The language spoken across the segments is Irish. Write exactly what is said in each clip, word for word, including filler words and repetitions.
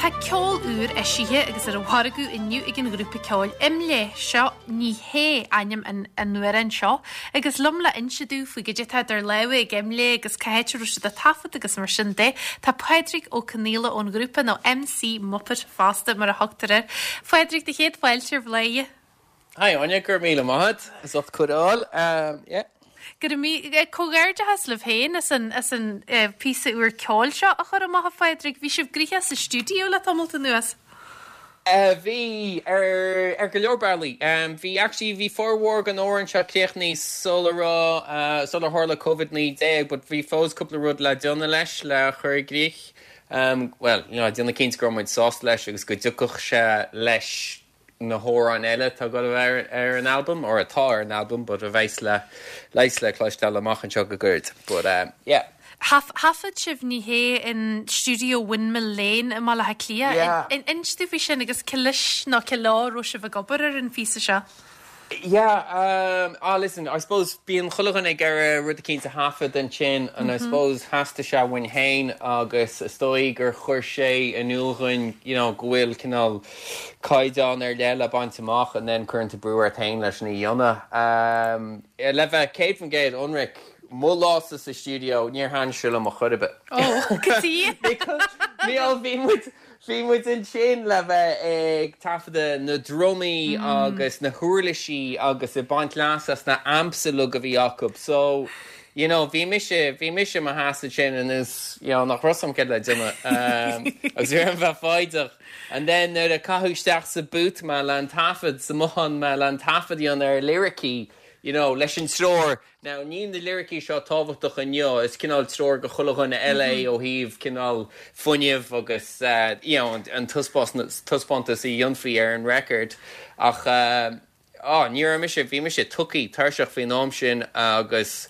Tá ceol úr eisithe agus ar an mhargadh inniu ag an ghrúpa ceoil IMLÉ seo ní hé ainm an an amhráin seo, agus liom le inse domh faoi goidé atá idir lámha ag IMLÉ agus cá háit a raibh siad ag taifead agus mar sin de, tá Pádraig Ó Conaola ón ghrúpa nó MC Muppet fosta mar a thugtar air. Phádraig do chéad fáilte ar Bhladhaire. Hi Áine gur míle maith as ucht cuireadh um, yeah. Gur mí comhghairdeas libh féin as an as an uh, píosa úr ceoil seo a chur amach a Phádraig, bhí sibh gnoitheach sa stiúideo le tamall anuas. Uh, bhí ar ar go leor bealaí. Um, bhí actually bhí formhór den amhrán seo críochnaithe sula raibh uh, sular tharla COVID naoi déag, but bhí fós cúpla rud le déanamh leis le chur i gcrích. Um, well, you know, déanamh cinnte go raibh muid sásta leis agus go dtiocfadh sé leis na hamhráin eile tá go ar ar an album or atá ar an album, but a bheas le leis le cloisteáil amach anseo go gairid. But um, yeah. Thaifead sibh ní hé in stiúideo Windmill Lane i mBaile Átha Cliath. Yeah. Inis domh faoi sin agus cé leis nó cé leo a raibh sibh ag obair ar an phíosa seo. Yeah, um, ah, listen, I suppose bíonn chuile dhuine ag iarraidh rud eicínt a thaifead ansin and I suppose theastaigh sé uainn féin agus is dóigh gur chuir sé in iúl dúinn you know, go bhfuil cineál caighdeán ar leith le baint amach and then cuireann tú brú ort féin leis na dhéanamh. Um, le bheith céad faoin gcéad ionraic mo lása sa studio níor thaithin sé liom ar chor ar bith. Ó, go dtí? Bhí bhí muid Bhí muid ansin le bheith ag taifeadadh na drumaí agus na huirlisí agus ag baint leas as na amps uilig a bhí acu. So you know, bhí mise bhí mise mar sheasamh sin is you know, nach raibh a fhios agam cad le déanamh um, agus bhí an bheith fáideach. And then nuair a caitheadh isteach sa booth mé le an taifead sa mbothán mé le an taifead ar lyricí, you know, leis an treoir. Now níl na lyricí seo tábhachtach inniu is cineál treoir go chuile dhuine eile ó thaobh cineál fuinnimh agus uh, you know, an, an taispeántas a dhéanfaí ar an record ach uh, oh, ní raibh mise bhí mise tugtha tuirseach faoin am sin agus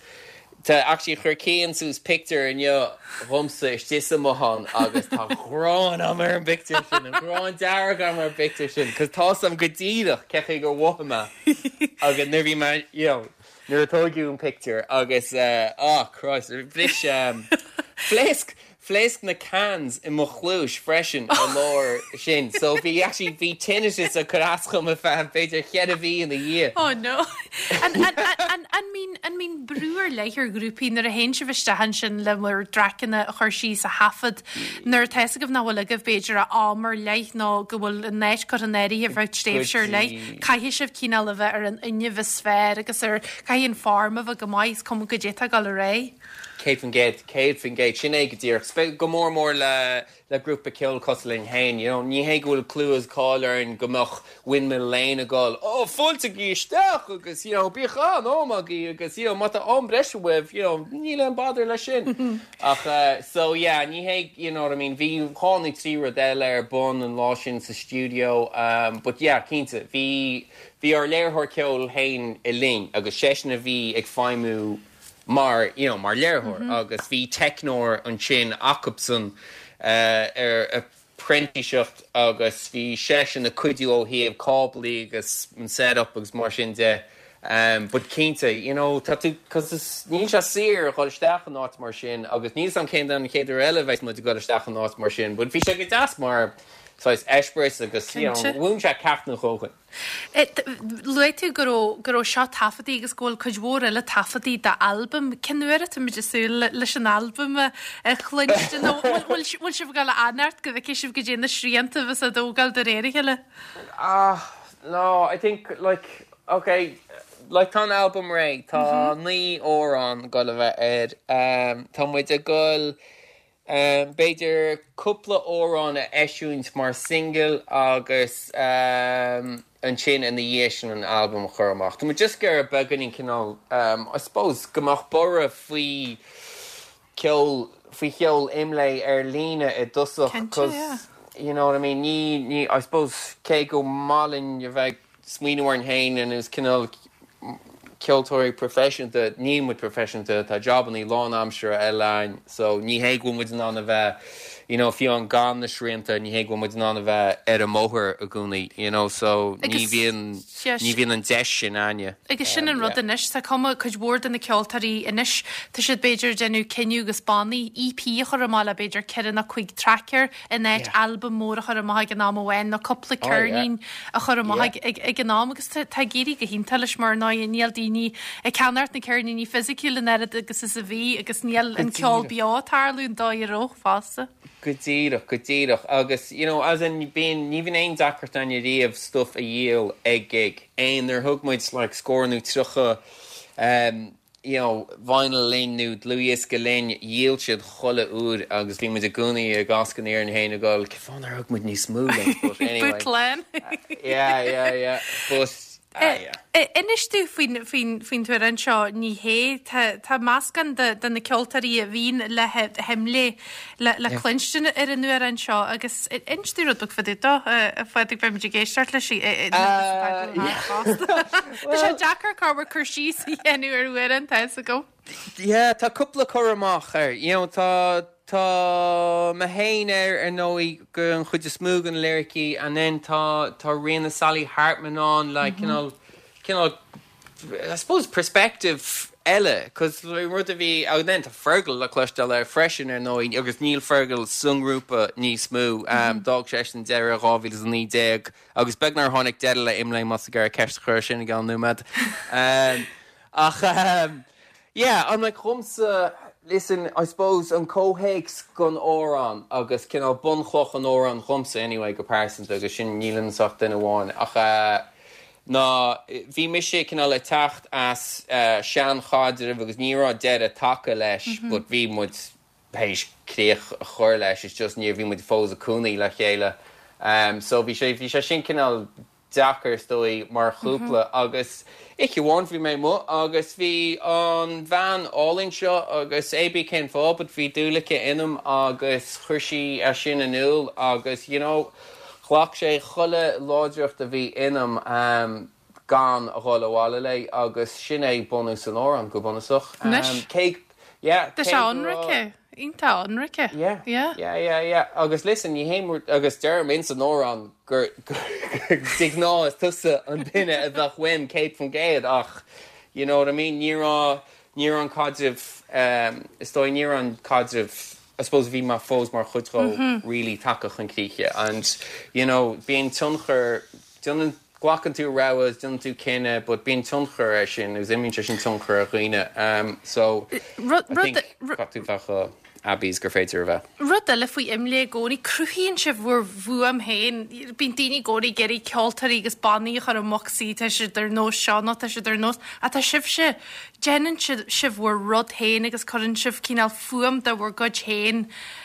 Tá actually chuir Cian suas picture inniu dhomsa istigh sa mbothán agus tá gráin agam ar an bpictiúr sin an gráin dearg agam ar an bpictiúr sin, cos tá a fhios agam go díreach cén chaoi gur mhothaigh mé agus nuair bhí mé you know, nuair a tógadh an picture agus uh, oh Christ bhris um, phléasc phléasc na cans i mo chluais freisin an lá sin, so bhí actually bhí tinnitus ag cur as dom ar feadh b'fhéidir ceithre mhí ina dhiaidh. Oh no. An an an an mbíonn an mbíonn brú ar leith ar ghrúpaí nuair a théann sibh isteach ansin le bhur dtraiceanna a chur síos a thaifead nuair atá a fhios agaibh nach bhfuil agaibh b'fhéidir a am ar leith nó go bhfuil an áit curtha in áirithe ar feadh tréimhse ar leith. Caithfidh sibh cineál a bheith ar an fhuinneamh is fearr agus ar caithfidh an form a bheith go maith is cuma goidé atá ag dul ar aghaidh. Céad faoin gcéad céad faoin gcéad sin é go díreach go mór mór le le grúpa ceoil cosúil linn féin, you know, ní hé go bhfuil clú is cáil orainn go mbeadh Windmill Lane ag gabháil, ó fáiltigí isteach agus you know, bíodh an-am agaibh agus you know, má tá am breise uaibh, you know, níl aon bother leis sin. Ach uh, so yeah, ní hé you know what I mean, bhí dhá nó trí rud eile ar bun an lá sin sa studio, um, but yeah, cinnte, bhí bhí ár léiritheoir ceoil féin i linn agus seisean a bhí ag feidhmiú mar you know, mar léiritheoir mm -hmm. agus bhí teicneoir ansin acusan uh, ar printíseacht agus bhí seisean ag cuidiú ó thaobh cáblaí agus an setup agus mar sin de. Um, but cinnte, you know, tá tú cos níl sé saor dul isteach in áit mar sin agus níl a fhios agam cén an chéad uair eile bheidh muid ag dul isteach in áit mar sin, but bhí sé go deas mar saghas eispéireas agus you know, Cinnte. mhúin sé ceacht nó dhó dhúinn. Luaigh tú go raibh go raibh seo taifeadta agus go bhfuil cuid mhór eile taifeadta d'albam cén uair atá muid ag súil leis an albam a a chluinstin nó bhfuil bhfuil sibh ag dul a fhanacht go bhfeicfidh sibh goidé na srianta bheas á dtógáil de réir a chéile. Ah, no, I think like okay, like tá an album réidh tá naoi amhrán ag dul a bheith air um, tá muid ag dul um, b'fhéidir cúpla amhrán a eisiúint mar single agus um, ansin ina dhiaidh sin an album a chur amach. Tá muid just ag iarraidh beagáinín cineál um, I suppose go mbeadh borradh faoi ceol faoi cheol IMLÉ ar líne i dtosach Cinnte, 'cause yeah. you know what I mean ní ní I suppose cé go maith linn a bheith smaoineamh orainn féin agus cineál ceoltóirí proifisiúnta ní muid proifisiúnta tá jobanna lánaimseartha eile againn so ní hé go bhfuil muid in ann a bheith you know, fiú amháin gan na srianta ní hé go bhfuil muid in ann a bheith ar an mbóthar i gcónaí, you know, so ní bhíonn ní bhíonn an deis sin againne. Agus sin an rud anois tá cuma cuid mhór de na ceoltóirí anois tá siad b'fhéidir déanamh cinneadh agus bannaí EP a chur amach le b'fhéidir ceithre nó cúig traic air in áit albam mór a chur amach ag an am amháin nó cúpla ceirnín a chur amach ag an am agus tá ag éirí go hiontach leis mar ná níl daoine ag ceannacht na ceirníní fisiciúil an oiread agus is a bhí agus níl an ceol beo ag tarlú an dóigh a raibh fosta. Go díreach go díreach agus you know as in bíonn ní bhíonn aon deacracht againne riamh stuff a dhíol ag gig aon nuair thug muid like scór nó tríocha um, you know, vinyl linn nó dlúthdhiosca linn dhíol siad chuile uair agus bhí muid i gcónaí ag ascan ar an héin a gáil cén fáth nár thug muid níos mó linn but anyway. Bootlan. Yeah, yeah, yeah. But ah, yeah. Inis dúinn faoin faoin faoin t-amhrán seo ní hé tá tá meascán de de na ceoltóirí a bhíonn le hImlé le le cluinstin ar an amhrán seo agus inis dúinn rud beag fá dtaobh dó a Phádraig beimid ag éisteacht leis Tá sé deacair cá cur síos a dhéanamh ar amhrán tá go. Yeah, tá cúpla cur amach air. You know, tá tá mé féin air ar ndóigh go an chuid is mó den lyricí and then tá tá Ríona Sally Hartman ann like mm -hmm. cineál I suppose perspective eile cos rud a bhí and then tá Fergal le cloisteáil air freisin ar ndóigh agus níl Fergal sa ngrúpa níos mó um, mm -hmm. D'fhág sé an deireadh dhá mhíle naoi déag agus beagnach tháinig deireadh le Imlé más gur ceist chur sin gan nóiméad. um, ach um, yeah, I'm like chumsa listen, I suppose an comhthéacs don amhrán agus cineál bunchloch an amhráin dhomsa anyway go pearsanta agus sin nílim ach duine amháin ach uh, ná bhí mise cineál ag teacht as uh, seanchaidreamh agus ní raibh deireadh tagtha leis, mm -hmm. but bhí muid théis críoch a chur leis, is just níor bhí muid fós i gcónaí le chéile. Um, so bhí sé bhí sé sin cineál deacair is dóigh mar chúpla mm -hmm. agus oíche amháin bhí mé amuigh agus bhí an bhean álainn seo agus AB cén fáth, but bhí dúil aici ionam agus chuir sí é sin in iúl agus you know, ghlac sé chuile láidreacht a bhí ionam um, gan a dhul abhaile léi agus sin é bunús an amhráin go bunúsach. Um, cé yeah, Tá sé ionraic iontach ionraic. Yeah. Yeah. Yeah, yeah, yeah. Agus listen, ní hé agus deirim in san amhrán gur de ghnáth is tusa an duine a bheadh uaim céad faoin gcéad ach you know what I mean ní raibh ní raibh an caidreamh um, is dóigh ní raibh an caidreamh I suppose bhí mar fós mar chuid mm -hmm. really tagtha chun críche and you know bíonn tionchar déanann glacann tú rogha déanann tú cinneadh, but bíonn tionchar é sin agus imíonn sé sin tionchar ar dhaoine um, so tú bheith aibí gur féidir a bheith. Rud eile faoi Imlé i gcónaí cruthaíonn sibh bhur bhfuaim féin, bíonn daoine i gcónaí ag iarraidh ceoltóirí agus bannaí a chur i mbocsaí tá siad ar nós seo nó tá siad ar nós ach tá sibhse déanann sibh bhur rud féin agus cuireann sibh cineál fuaim de bhur gcuid féin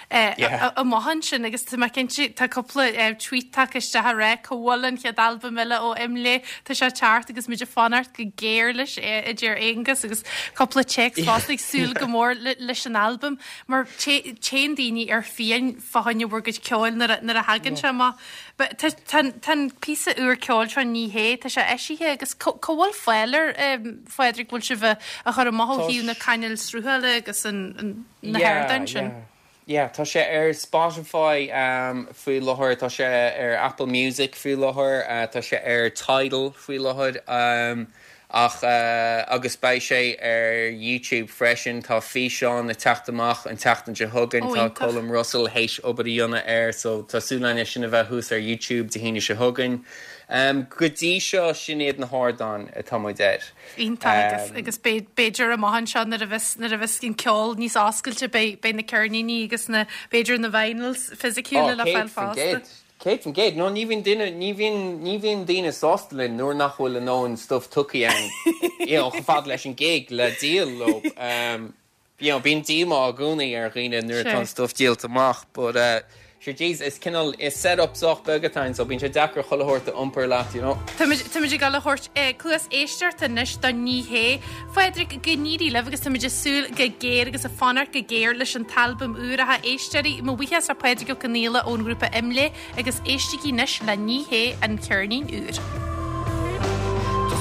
amach ansin agus tá mé cinnte tá cúpla tweet tagtha isteach a rá cá bhfuil an chéad albam eile ó Imlé tá sé ag teacht agus muid ag fanacht go géar leis a deir Aonghus agus cúpla téacs fosta ag súil go mór leis an albam mar téann daoine ar fiáin fá choinne bhur gcuid ceoil nuair a thagann sé amach. Tá an píosa úr ceoil seo ní hé tá sé eisithe agus cá bhfuil fáil air Phádraig bhfuil sibh a chur amach ó thaobh na cainéil sruthála agus na hardáin sin. Yeah, tá sé ar Spotify um, faoi láthair, tá sé ar Apple Music faoi láthair, uh, tá sé ar Tidal faoi láthair um, ach uh, agus beidh sé ar YouTube freisin tá físeán ag teacht amach an tseachtain seo chugainn tá Colm Russell théis obair a dhéanamh air so tá súil againn sin a bheith thuas ar YouTube Dé hAoine seo chugainn. Um, go dtí seo sin iad na hardáin atá muid air. Iontach agus agus b'fhéidir amach anseo nuair a bheas nuair a bheas an ceol níos oscailte beidh na ceirníní agus na b'fhéidir na vinyls fisiciúla le fáil fosta. Céad faoin gcéad no ní bhíonn duine ní bhíonn ní bhíonn daoine sásta linn nuair nach bhfuil a ndóthain stuff tugtha againn chomh fada leis an gig le díol leo. Um, you know, bíonn díomá i gcónaí ar dhaoine nuair atá an stuff díolta amach, but uh, Sure, jeez, is cineál is set-up sách beag atá ann, so bíonn sé deacair chuile shórt a iompar leat, you know. Táimid ag dul a thabhairt cluas éisteachta anois do ní hé. Phádraig go n-éirí libh agus táimid ag súil go géar agus ag fanacht go géar leis an t-albam úr a éisteoirí mo bhuíochas le Pádraig Ó Conghaile ón ngrúpa Imlé agus éistigí anois le ní hé an ceirnín úr.